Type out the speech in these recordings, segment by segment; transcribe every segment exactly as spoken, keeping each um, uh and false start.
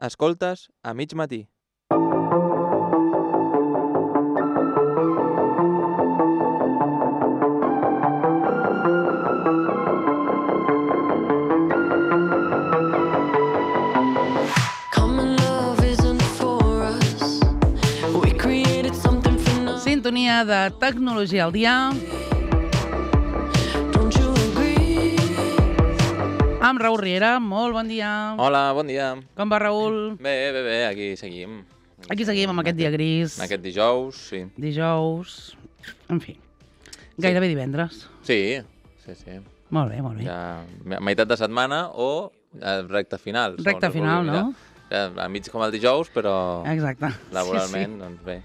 Escoltes a mig matí. Sintonia de Tecnologia al dia amb Raül Riera. Molt bon dia. Hola, bon dia. Com va, Raül? Bé, bé, bé, aquí seguim. Aquí seguim amb aquest dia gris. Aquest dijous, sí. Dijous... En fi, gairebé divendres. Sí, sí, sí. Molt bé, molt bé. Ja, meitat de setmana o eh, recta final. Recta final, no? Ja, a mig com el dijous, però Exacte. laboralment, Sí, sí. doncs bé.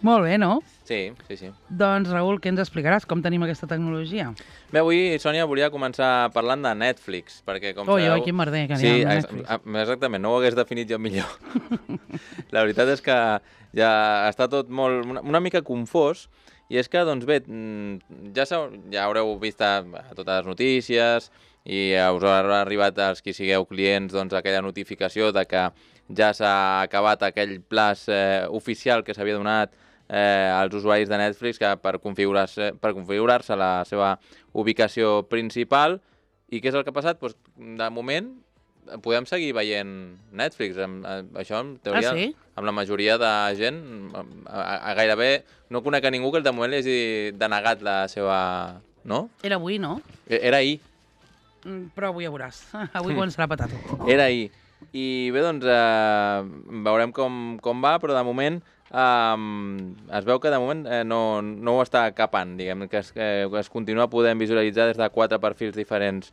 Molt bé, no? Sí, sí, sí. Doncs, Raül, què ens explicaràs? Com tenim aquesta tecnologia? Bé, avui, Sònia, volia començar parlant de Netflix, perquè com Oi, sabeu... oi, quin merder que sí, n'hi ha de ex Netflix. exactament, no ho hagués definit jo millor. La veritat és que ja està tot molt, una, una mica confós, i és que, doncs bé, ja, ja haureu vist a, a totes les notícies i us haurà arribat als qui sigueu clients doncs, aquella notificació de que ja s'ha acabat aquell plaç eh, oficial que s'havia donat eh, als usuaris de Netflix que per configurar-se per configurar-se la seva ubicació principal. I què és el que ha passat? Pues, de moment podem seguir veient Netflix. Això, en teoria, Ah, sí? amb la majoria de gent, a, a gairebé no conec a ningú que de moment li hagi denegat la seva... No? Era avui, no? Era ahir. Mm, Però avui ja veuràs. Avui començarà a petar tot. Era ahir. I bé, doncs, eh, veurem com, com va, però de moment eh, es veu que de moment eh, no, no ho està capant, diguem, que es, que es continua podent visualitzar des de quatre perfils diferents.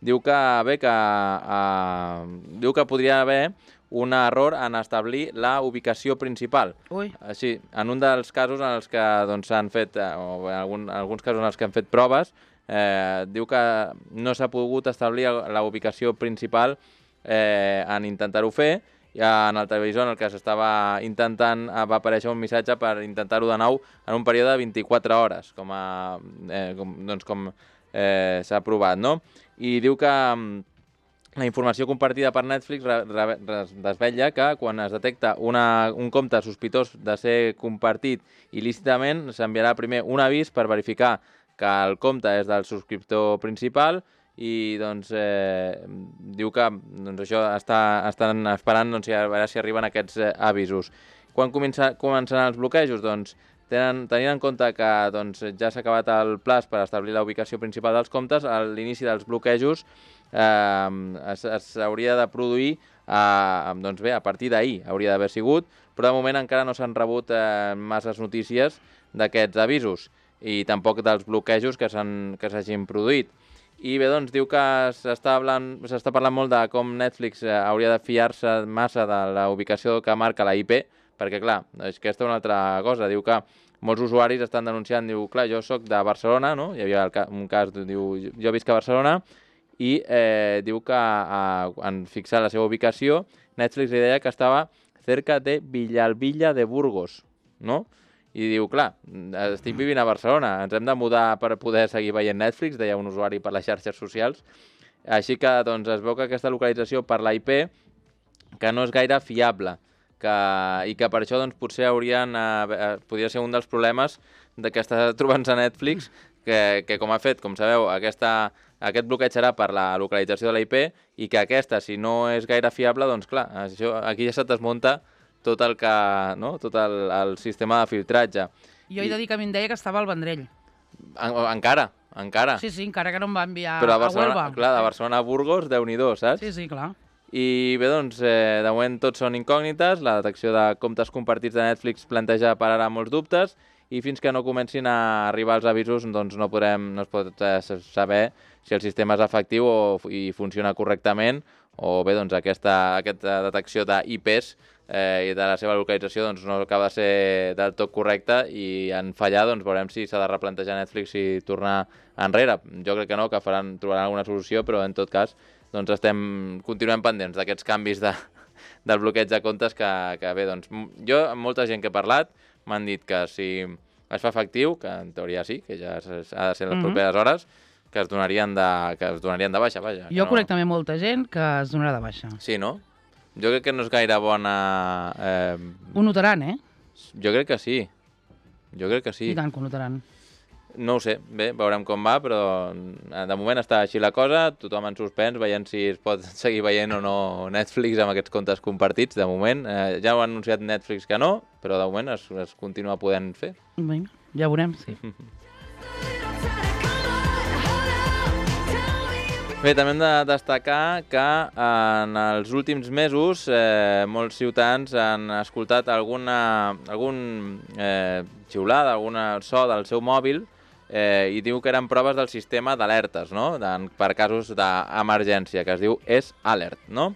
Diu que, bé, que, eh, diu que podria haver un error en establir la ubicació principal. Ui. Sí, en un dels casos en els que doncs, s'han fet, eh, o en algun, alguns casos en els que han fet proves, eh, diu que no s'ha pogut establir la ubicació principal eh, en intentar-ho fer. I en el televisor en el que s'estava intentant va aparèixer un missatge per intentar-ho de nou en un període de vint-i-quatre hores, com, a, eh, com, doncs, com eh, s'ha provat, no? I diu que la informació compartida per Netflix desvetlla que quan es detecta una, un compte sospitós de ser compartit il·lícitament, s'enviarà primer un avís per verificar que el compte és del subscriptor principal i doncs, eh, diu que doncs, això està, estan esperant doncs, a veure si arriben aquests eh, avisos. Quan comença, començaran els bloquejos? Doncs, tenen, tenint en compte que doncs, ja s'ha acabat el plaç per establir la ubicació principal dels comptes, a l'inici dels bloquejos eh, s'hauria de produir eh, doncs bé, a partir d'ahir, hauria d'haver sigut, però de moment encara no s'han rebut eh, masses notícies d'aquests avisos i tampoc dels bloquejos que s'hagin produït. I bé, doncs, diu que s'està parlant molt de com Netflix eh, hauria de fiar-se massa de la ubicació que marca la I P, perquè, clar, és que aquesta és una altra cosa. Diu que molts usuaris estan denunciant, diu, clar, jo sóc de Barcelona, no? Hi havia un cas, diu, jo visc a Barcelona, i eh, diu que eh, en fixar la seva ubicació, Netflix li deia que estava cerca de Villalbilla de Burgos, no? I diu, clar, estic vivint a Barcelona, ens hem de mudar per poder seguir veient Netflix, deia un usuari per les xarxes socials. Així que doncs, es veu que aquesta localització per la I P que no és gaire fiable que, i que per això doncs, potser haurien, eh, podria ser un dels problemes de que està trobant-se Netflix, que, que com ha fet, com sabeu, aquesta, aquest bloqueig serà per la localització de la I P i que aquesta, si no és gaire fiable, doncs clar, això, aquí ja se desmunta tot el que, no? tot el, el sistema de filtratge. Jo he de dir que a mi em deia que estava al Vendrell. En, encara, encara. Sí, sí, encara que no em va enviar Però a, a Barcelona, Huelva. clar, de Barcelona a Burgos, Déu-n'hi-do, saps? Sí, sí, clar. I bé, doncs, eh, de moment tots són incògnites, la detecció de comptes compartits de Netflix planteja per ara molts dubtes i fins que no comencin a arribar els avisos doncs no, podrem, no es pot eh, saber si el sistema és efectiu o, i funciona correctament o bé, doncs, aquesta, aquesta detecció d'I Ps eh, i de la seva localització doncs, no acaba de ser del tot correcta i en fallar doncs, veurem si s'ha de replantejar Netflix i tornar enrere. Jo crec que no, que faran, trobaran alguna solució, però en tot cas doncs estem, continuem pendents d'aquests canvis de, del bloqueig de comptes que, que bé, doncs, jo amb molta gent que he parlat m'han dit que si es fa efectiu, que en teoria sí, que ja ha de ser les properes hores, que es donarien de, que es donarien de baixa, vaja. Jo no... conec també molta gent que es donarà de baixa. Sí, no? Jo crec que no és gaire bona... Eh... Ho notaran, eh? Jo crec que sí. Jo crec que sí. I tant que ho notaran. No ho sé, bé, veurem com va, però de moment està així la cosa, tothom en suspens, veient si es pot seguir veient o no Netflix amb aquests comptes compartits, de moment. Eh, ja ho ha anunciat Netflix que no, però de moment es, es continua podent fer. Vinga, ja veurem, sí. Bé, també hem de destacar que en els últims mesos eh, molts ciutadans han escoltat alguna, algun eh, xiulada, alguna so del seu mòbil eh, i diu que eren proves del sistema d'alertes, no? De, per casos d'emergència, que es diu S-Alert, no?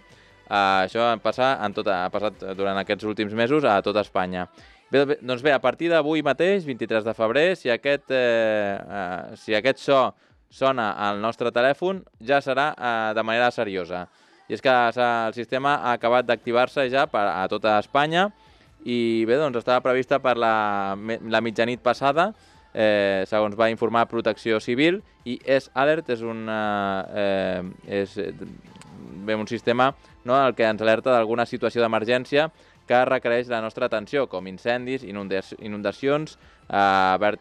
Eh, això ha passat, en tot, ha passat durant aquests últims mesos a tota Espanya. Bé, doncs bé, a partir d'avui mateix, vint-i-tres de febrer, si aquest, eh, eh, si aquest so sona al nostre telèfon, ja serà eh, de manera seriosa. I és que el sistema ha acabat d'activar-se ja per, a tota Espanya i bé, doncs estava prevista per la, la mitjanit passada, eh, segons va informar Protecció Civil, i S-Alert és, una, eh, és bé, un sistema, no, el que ens alerta d'alguna situació d'emergència que requereix la nostra atenció, com incendis, inundacions, eh,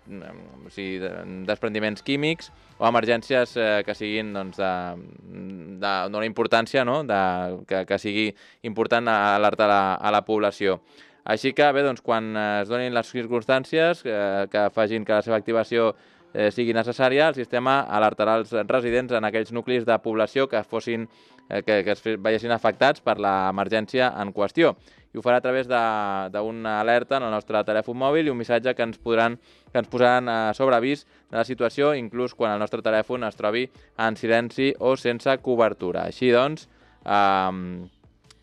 o sigui, desprendiments químics o emergències eh, que siguin doncs, d'una importància, no? de, que, que sigui important alertar la, a la població. Així que, bé, doncs, quan es donin les circumstàncies eh, que facin que la seva activació eh, sigui necessària, el sistema alertarà els residents en aquells nuclis de població que fossin eh, que, que es veiessin afectats per l'emergència en qüestió. I ho farà a través d'una alerta en el nostre telèfon mòbil i un missatge que ens, podran, que ens posaran a sobreavís de la situació, inclús quan el nostre telèfon es trobi en silenci o sense cobertura. Així doncs, eh,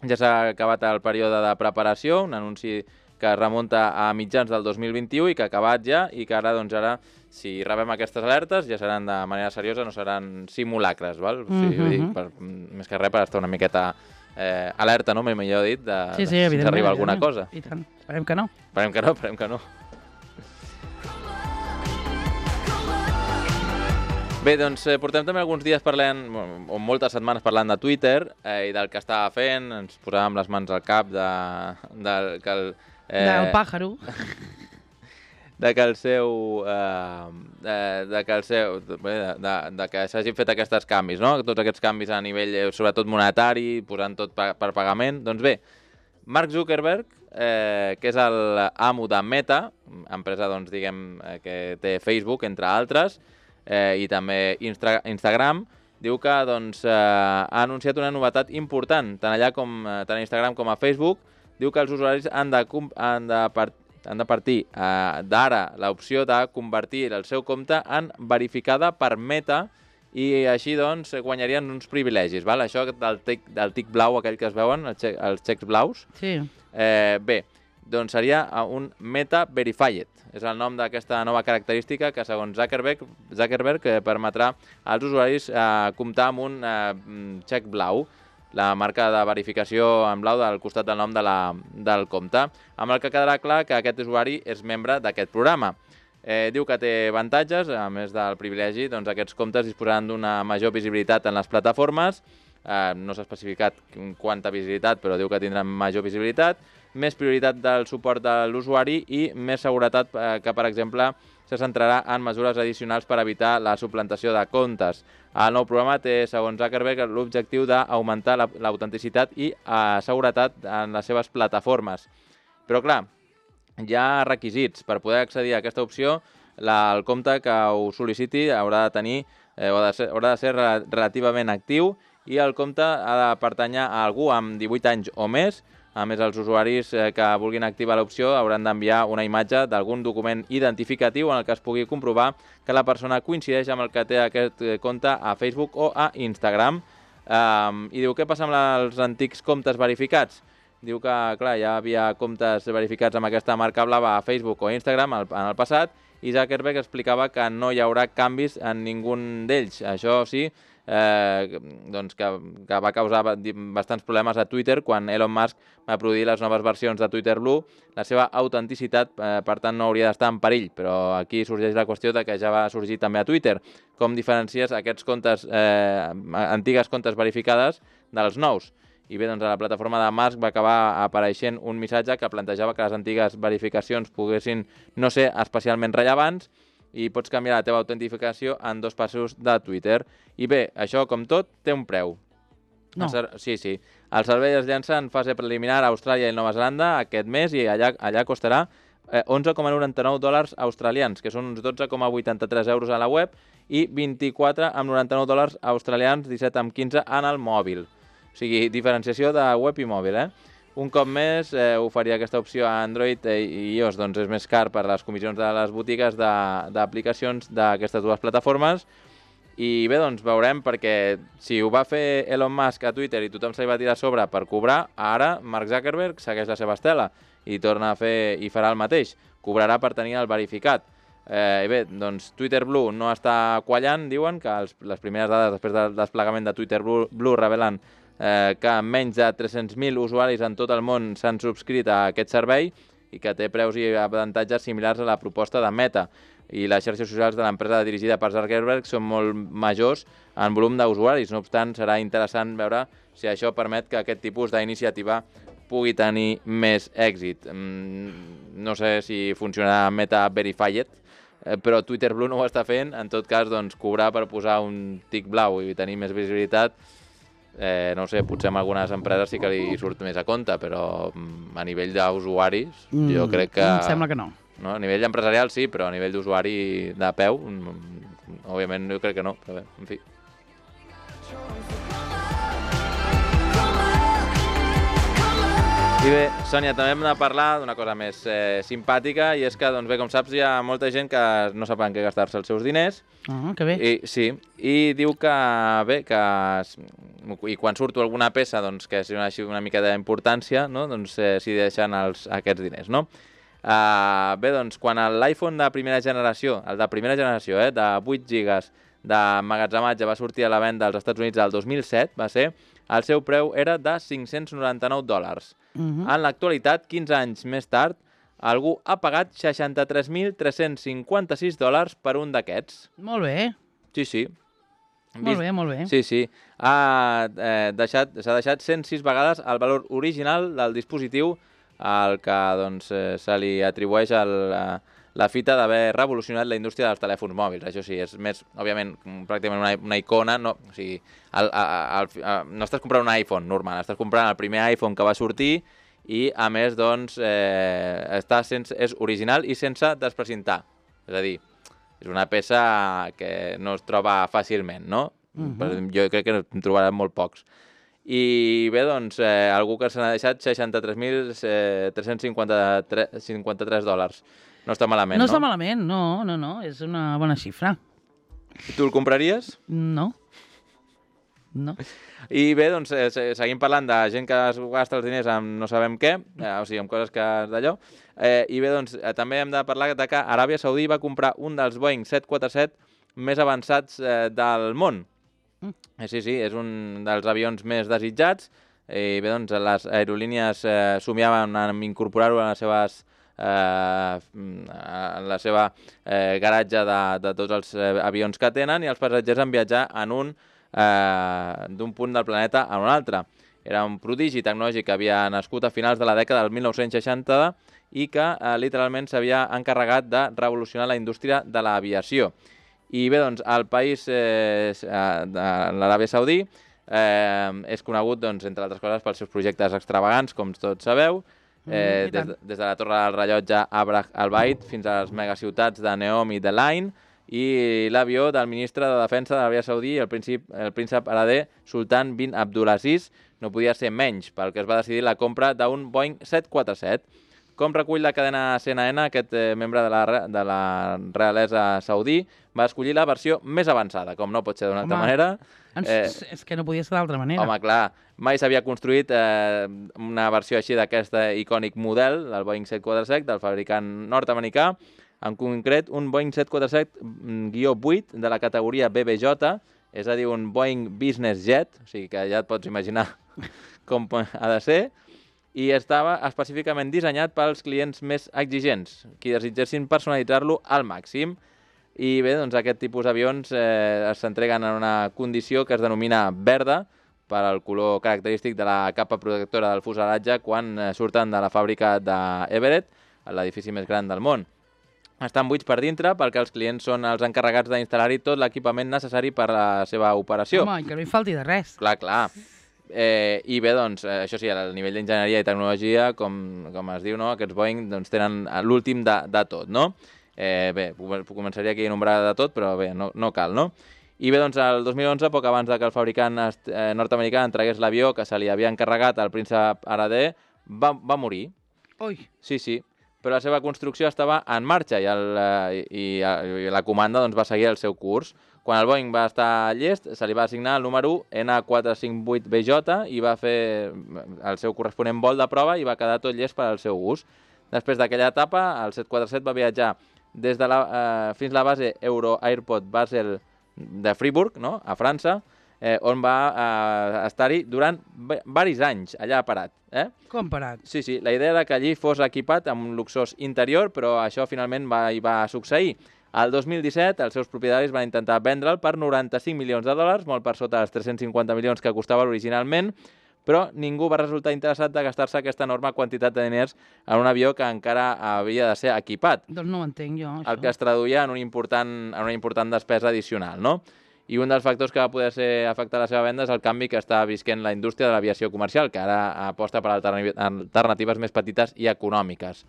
ja s'ha acabat el període de preparació, un anunci que remunta a mitjans del dos mil vint-i-u i que ha acabat ja i que ara, doncs, ara si rebem aquestes alertes ja seran de manera seriosa, no seran simulacres, val? O sigui, mm-hmm. dic, per, més que res per estar una miqueta eh, alerta, no? Millor dit, de, sí, sí, de si ens arriba alguna cosa. I tant, esperem que no. Esperem que no, esperem que no. Bé, doncs eh, portem també alguns dies parlant, o moltes setmanes parlant de Twitter eh, i del que estava fent, ens posàvem les mans al cap de, de que el... Eh, del pàjaro. de que el seu... Eh, de, de que el seu... De, de, de que s'hagin fet aquests canvis, no? Tots aquests canvis a nivell, sobretot monetari, posant tot per, per pagament. Doncs bé, Mark Zuckerberg, eh, que és l'amo de Meta, empresa, doncs, diguem, eh, que té Facebook, entre altres, eh, i també Insta Instagram, diu que doncs, eh, ha anunciat una novetat important, tant allà com tant a Instagram com a Facebook. Diu que els usuaris han de, han de, part, han de partir eh, d'ara l'opció de convertir el seu compte en verificada per Meta i així doncs guanyarien uns privilegis. Val? Això del tic, del tic blau, aquell que es veuen, els, xe els xecs blaus, sí. eh, bé, doncs seria un Meta Verified. És el nom d'aquesta nova característica que, segons Zuckerberg, Zuckerberg eh, permetrà als usuaris eh, comptar amb un eh, xec blau, la marca de verificació en blau del costat del nom de la, del compte, amb el que quedarà clar que aquest usuari és membre d'aquest programa. Eh, diu que té avantatges, a més del privilegi, doncs aquests comptes disposaran d'una major visibilitat en les plataformes, eh, no s'ha especificat quanta visibilitat, però diu que tindran major visibilitat, més prioritat del suport de l'usuari i més seguretat eh, que, per exemple, se centrarà en mesures addicionals per evitar la suplantació de comptes. El nou programa té, segons Zuckerberg, l'objectiu d'augmentar l'autenticitat i eh, seguretat en les seves plataformes. Però, clar, hi ha requisits. Per poder accedir a aquesta opció, la, el compte que ho sol·liciti haurà de tenir, eh, haurà de ser, haurà de ser relativament actiu i el compte ha de pertànyer a algú amb divuit anys o més. A més, els usuaris que vulguin activar l'opció hauran d'enviar una imatge d'algun document identificatiu en el que es pugui comprovar que la persona coincideix amb el que té aquest compte a Facebook o a Instagram. Um, I diu, què passa amb els antics comptes verificats? Diu que, clar, ja havia comptes verificats amb aquesta marca blava a Facebook o a Instagram en el passat i Zuckerberg explicava que no hi haurà canvis en ningú d'ells. Això sí, Eh, doncs que, que va causar bastants problemes a Twitter quan Elon Musk va produir les noves versions de Twitter Blue. La seva autenticitat, eh, per tant, no hauria d'estar en perill, però aquí sorgeix la qüestió de que ja va sorgir també a Twitter. Com diferencies aquests comptes, eh, antigues comptes verificades dels nous? i bé, doncs a la plataforma de Musk va acabar apareixent un missatge que plantejava que les antigues verificacions poguessin no ser especialment rellevants i pots canviar la teva autentificació en dos passos de Twitter. I bé, això, com tot, té un preu. No. Sí, sí. El servei es llança en fase preliminar a Austràlia i Nova Zelanda aquest mes i allà, allà costarà eh, onze coma noranta-nou dòlars australians, que són uns dotze coma vuitanta-tres euros a la web i vint-i-quatre coma noranta-nou dòlars australians, disset coma quinze en el mòbil. O sigui, diferenciació de web i mòbil, eh? Un cop més, eh, oferir aquesta opció a Android i iOS doncs, és més car per les comissions de les botigues d'aplicacions d'aquestes dues plataformes. I bé, doncs veurem, perquè si ho va fer Elon Musk a Twitter i tothom se li va tirar a sobre per cobrar, ara Mark Zuckerberg segueix la seva estela i torna a fer i farà el mateix. Cobrarà per tenir el verificat. Eh, bé, doncs Twitter Blue no està quallant, diuen, que els, les primeres dades després del desplegament de Twitter Blue, Blue revelen eh, que menys de tres-cents mil usuaris en tot el món s'han subscrit a aquest servei i que té preus i avantatges similars a la proposta de Meta. I les xarxes socials de l'empresa dirigida per Zuckerberg són molt majors en volum d'usuaris. No obstant, serà interessant veure si això permet que aquest tipus d'iniciativa pugui tenir més èxit. No sé si funcionarà Meta Verified, però Twitter Blue no ho està fent. En tot cas, doncs, cobrar per posar un tic blau i tenir més visibilitat, eh, no sé, potser en algunes empreses sí que li surt més a compte, però a nivell d'usuaris mm, jo crec que... Em sembla que no. No? A nivell empresarial sí, però a nivell d'usuari de peu, òbviament jo crec que no, però bé, en fi. I bé, Sònia, també hem de parlar d'una cosa més eh, simpàtica, i és que, doncs bé, com saps, hi ha molta gent que no sap en què gastar-se els seus diners. Ah, que bé. I, sí, i diu que, bé, que i quan surto alguna peça, doncs, que és una, una mica d'importància, no? Doncs eh, s'hi deixen els, aquests diners, no? Uh, bé, doncs, quan l'iPhone de primera generació, el de primera generació, eh, de vuit gigas d'emmagatzematge va sortir a la venda als Estats Units el dos mil set, va ser, el seu preu era de cinc-cents noranta-nou dòlars. Uh -huh. En l'actualitat, quinze anys més tard, algú ha pagat seixanta-tres mil tres-cents cinquanta-sis dòlars per un d'aquests. Molt bé. Sí, sí. Molt bé, molt bé. Sí, sí. Ha eh, deixat, s'ha deixat cent sis vegades el valor original del dispositiu al que doncs, eh, se li atribueix el, la, la fita d'haver revolucionat la indústria dels telèfons mòbils. Això sí, és més, òbviament, pràcticament una, una icona. No, o sigui, el, el, el, el, no estàs comprant un iPhone normal, estàs comprant el primer iPhone que va sortir i, a més, doncs, eh, està sense, és original i sense desprecintar. És a dir, és una peça que no es troba fàcilment, no? Uh-huh. Jo crec que en trobarem molt pocs. I bé, doncs, eh, algú que se n'ha deixat seixanta-tres mil tres-cents cinquanta-tres dòlars. No està malament, no? No està malament, no, no, no, és una bona xifra. I tu el compraries? No. No. I bé, doncs, eh, seguim parlant de gent que es gasta els diners amb no sabem què, eh, o sigui, amb coses que d'allò. Eh, I bé, doncs, eh, també hem de parlar de que Aràbia Saudí va comprar un dels Boeing set quaranta-set més avançats eh, del món. Mm. Eh, sí, sí, és un dels avions més desitjats. I bé, doncs, les aerolínies eh, somiaven en incorporar-ho a les seves eh, a la seva eh, garatge de, de tots els eh, avions que tenen, i els passatgers han viatjar en un eh, d'un punt del planeta a un altre. Era un prodigi tecnològic que havia nascut a finals de la dècada del mil nou-cents seixanta i que eh, literalment s'havia encarregat de revolucionar la indústria de l'aviació. I bé, doncs, el país eh, de l'Aràbia Saudí eh, és conegut, doncs, entre altres coses, pels seus projectes extravagants, com tots sabeu, eh, mm, des, de, des de la torre del rellotge Abrah al-Bait fins a les megaciutats de Neom i de Lain, i l'avió del ministre de Defensa de l'Aràbia Saudí, el príncep, el príncep hereder Sultan bin Abdulaziz, no podia ser menys, pel que es va decidir la compra d'un Boeing set quaranta-set. Com recull la cadena C N N, aquest eh, membre de la, de la realesa saudí va escollir la versió més avançada, com no pot ser d'una altra manera. Eh, és que no podia ser d'altra manera. Home, clar, mai s'havia construït eh, una versió així d'aquest icònic model, del Boeing set quaranta-set, del fabricant nord-americà, en concret un Boeing set quaranta-set vuit de la categoria B B J, és a dir, un Boeing Business Jet, o sigui que ja et pots imaginar com ha de ser, i estava específicament dissenyat pels clients més exigents, qui desitgessin personalitzar-lo al màxim. I bé, doncs aquest tipus d'avions eh, s'entreguen en una condició que es denomina verda, per al color característic de la capa protectora del fuselatge quan eh, surten de la fàbrica d'Everett, l'edifici més gran del món. Estan buits per dintre perquè els clients són els encarregats d'instal·lar-hi tot l'equipament necessari per a la seva operació. Home, que no hi falti de res. Clar, clar. Eh, I bé, doncs, eh, això sí, al nivell d'enginyeria i tecnologia, com, com es diu, no? Aquests Boeing doncs, tenen l'últim de, de tot, no? Eh, bé, començaria aquí a nombrar de tot, però bé, no, no cal, no? I bé, doncs, el dos mil onze, poc abans que el fabricant eh, nord-americà entregués l'avió que se li havia encarregat al príncep hereder, va, va morir. Ui. Sí, sí. Però la seva construcció estava en marxa i, el, i, i la comanda doncs, va seguir el seu curs. Quan el Boeing va estar llest, se li va assignar el número N quatre cinc vuit B J i va fer el seu corresponent vol de prova i va quedar tot llest per al seu ús. Després d'aquella etapa, el set quatre set va viatjar des de la, eh, fins a la base Euro Airport Basel de Fribourg, no?, a França, eh, on va eh, estar-hi durant varis anys, allà parat. Eh? Com parat? Sí, sí, la idea era que allí fos equipat amb un luxós interior, però això finalment va, hi va succeir. El dos mil disset, els seus propietaris van intentar vendre'l per noranta-cinc milions de dòlars, molt per sota dels tres-cents cinquanta milions que costava originalment, però ningú va resultar interessat de gastar-se aquesta enorme quantitat de diners en un avió que encara havia de ser equipat. Doncs no ho entenc jo, això. El que es traduïa en, un important, en una important despesa addicional, no? I un dels factors que va poder ser afectar la seva venda és el canvi que està visquent la indústria de l'aviació comercial, que ara aposta per alternatives més petites i econòmiques.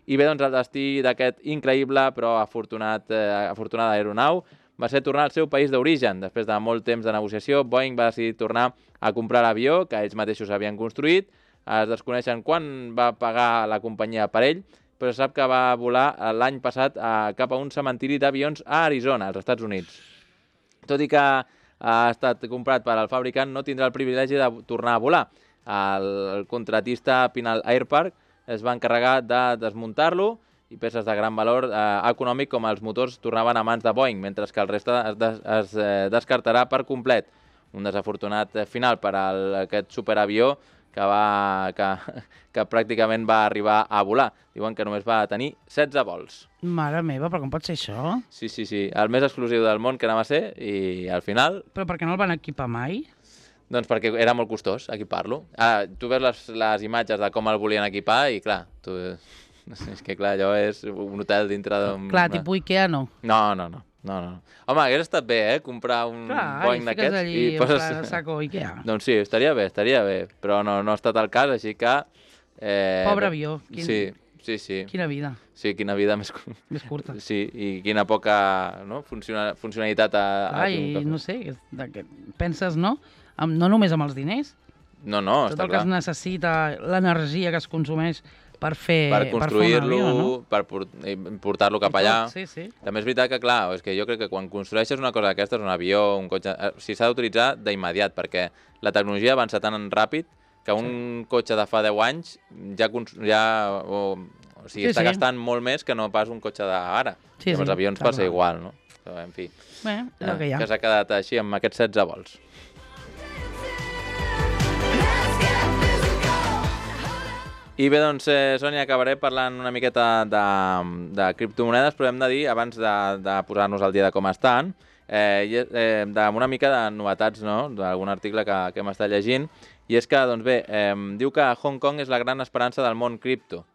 I bé, doncs, el destí d'aquest increïble però afortunat, eh, afortunada aeronau va ser tornar al seu país d'origen. Després de molt temps de negociació, Boeing va decidir tornar a comprar l'avió que ells mateixos havien construït. Es desconeixen quan va pagar la companyia per ell, però sap que va volar l'any passat a, cap a un cementiri d'avions a Arizona, als Estats Units. Tot i que ha estat comprat per al fabricant, no tindrà el privilegi de tornar a volar. El contratista Pinal Air Park es va encarregar de desmuntar-lo i peces de gran valor eh, econòmic com els motors tornaven a mans de Boeing, mentre que el reste es, des, es eh, descartarà per complet. Un desafortunat final per a aquest superavió que, va, que, que pràcticament va arribar a volar. Diuen que només va tenir setze vols. Mare meva, però com pot ser això? Sí, sí, sí. El més exclusiu del món que anava a ser i al final... Però per què no el van equipar mai? Doncs perquè era molt costós equipar-lo. Ah, tu veus les, les imatges de com el volien equipar i clar, tu... és que clar, allò és un hotel dintre d'un... Clar, tipus Ikea no. No, no, no. No, no. Home, hagués estat bé, eh, comprar un clar, Boeing d'aquests. Allí, i poses... Clar, saco Ikea. Doncs sí, estaria bé, estaria bé, però no, no ha estat el cas, així que... Eh... Pobre avió. Quin... Sí, sí, sí. Quina vida. Sí, quina vida més... Més curta. Sí, i quina poca no? Funciona... funcionalitat a... Clar, a i no sé, de que penses, no? Amb, no només amb els diners. No, no, tot està el clar. que es necessita, l'energia que es consumeix per fer per construir-lo, no? per portar-lo cap allà. Sí, sí. També és veritat que, clar, és que jo crec que quan construeixes una cosa d'aquestes, un avió, un cotxe, o sigui, s'ha d'utilitzar d'immediat, perquè la tecnologia avança tan ràpid que un sí. cotxe de fa deu anys ja, ja o, o sigui, sí, està sí. gastant molt més que no pas un cotxe d'ara. Sí, I amb sí, els avions passa igual, no? Però, en fi, bé, és el que hi ha. Que s'ha quedat així amb aquests setze vols. I bé, doncs, eh, Sònia, acabaré parlant una miqueta de, de criptomonedes, però hem de dir, abans de, de posar-nos al dia de com estan, eh, eh, de una mica de novetats, no?, d'algun article que, que hem estat llegint, i és que, doncs bé, eh, diu que Hong Kong és la gran esperança del món cripto.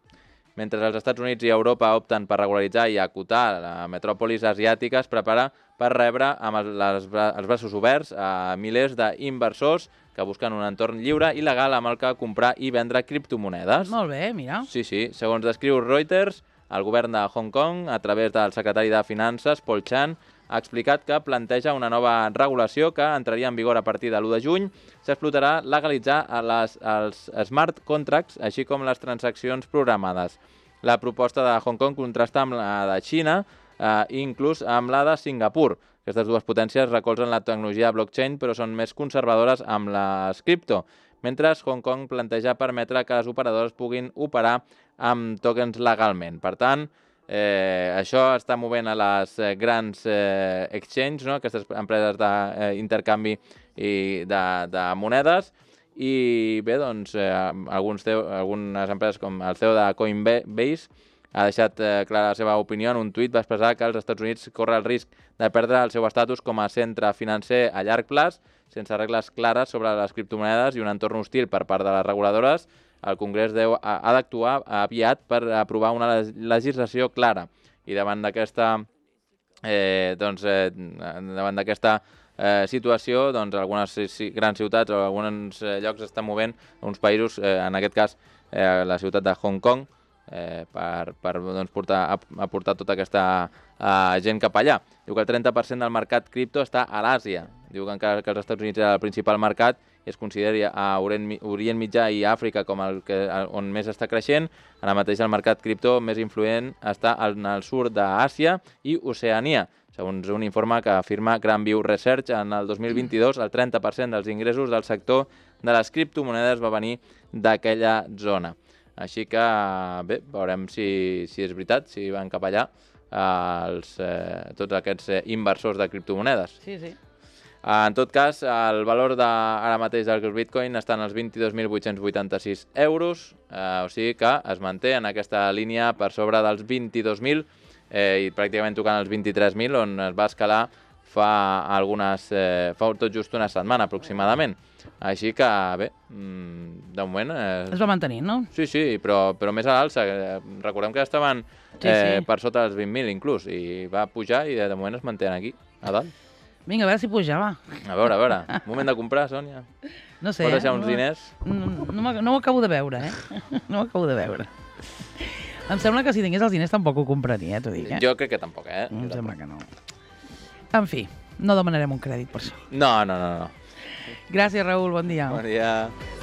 Mentre els Estats Units i Europa opten per regularitzar i acotar la metròpolis asiàtica, es prepara per rebre amb els, les, els braços oberts a milers d'inversors que busquen un entorn lliure i legal amb el que comprar i vendre criptomonedes. Molt bé, mira. Sí, sí. Segons descriu Reuters, el govern de Hong Kong, a través del secretari de Finances, Paul Chan, ha explicat que planteja una nova regulació que entraria en vigor a partir de l'u de juny. S'explotarà legalitzar les, els smart contracts, així com les transaccions programades. La proposta de Hong Kong contrasta amb la de Xina eh, i inclús amb la de Singapur. Aquestes dues potències recolzen la tecnologia blockchain, però són més conservadores amb les cripto, mentre Hong Kong planteja permetre que les operadores puguin operar amb tokens legalment. Per tant, eh, això està movent a les eh, grans eh, exchanges, no? Aquestes empreses d'intercanvi i de, de monedes, i bé, doncs, eh, alguns C E O, algunes empreses com el C E O de Coinbase ha deixat eh, clara la seva opinió. En un tuit va expressar que els Estats Units corre el risc de perdre el seu estatus com a centre financer a llarg plaç, sense regles clares sobre les criptomonedes i un entorn hostil per part de les reguladores. El Congrés deu, ha, ha d'actuar aviat per aprovar una legislació clara. I davant d'aquesta eh, doncs, eh, davant d'aquesta eh, situació, doncs, algunes grans ciutats o alguns eh, llocs estan movent, uns països, eh, en aquest cas eh, la ciutat de Hong Kong, eh, per, per doncs, portar, aportar tota aquesta eh, gent cap allà. Diu que el trenta per cent del mercat cripto està a l'Àsia. Diu que encara que els Estats Units és el principal mercat, es consideri a Orient, Orient Mitjà i Àfrica com el que, on més està creixent. Ara mateix el mercat cripto més influent està en el sud d'Àsia i Oceania. Segons un informe que afirma Grandview Research, en el dos mil vint-i-dos el trenta per cent dels ingressos del sector de les criptomonedes va venir d'aquella zona. Així que, bé, veurem si, si és veritat, si van cap allà eh, els, eh, tots aquests eh, inversors de criptomonedes. Sí, sí. En tot cas, el valor de, ara mateix del Bitcoin està en els vint-i-dos mil vuit-cents vuitanta-sis euros, eh, o sigui que es manté en aquesta línia per sobre dels vint-i-dos mil eh, i pràcticament tocant els vint-i-tres mil, on es va escalar fa algunes, eh, fa tot just una setmana aproximadament. Així que, bé, de moment... Eh, es va mantenir, no? Sí, sí, però, però més a l'alça. Recordem que estaven eh, sí, sí. per sota dels vint mil inclús, i va pujar i de moment es mantenen aquí, a dalt. Vinga, a veure si puja, va. A veure, a veure. Moment de comprar, Sònia. No sé, Pots deixar eh? uns no, diners? No, no, no ho acabo de veure, eh? No ho acabo de veure. Em sembla que si tingués els diners tampoc ho compraria, eh, t'ho dic, eh? Jo crec que tampoc, eh? Em jo sembla tampoc. que no. En fi, no demanarem un crèdit per això. No, no, no, no. Gràcies, Raül, bon dia. Bon dia.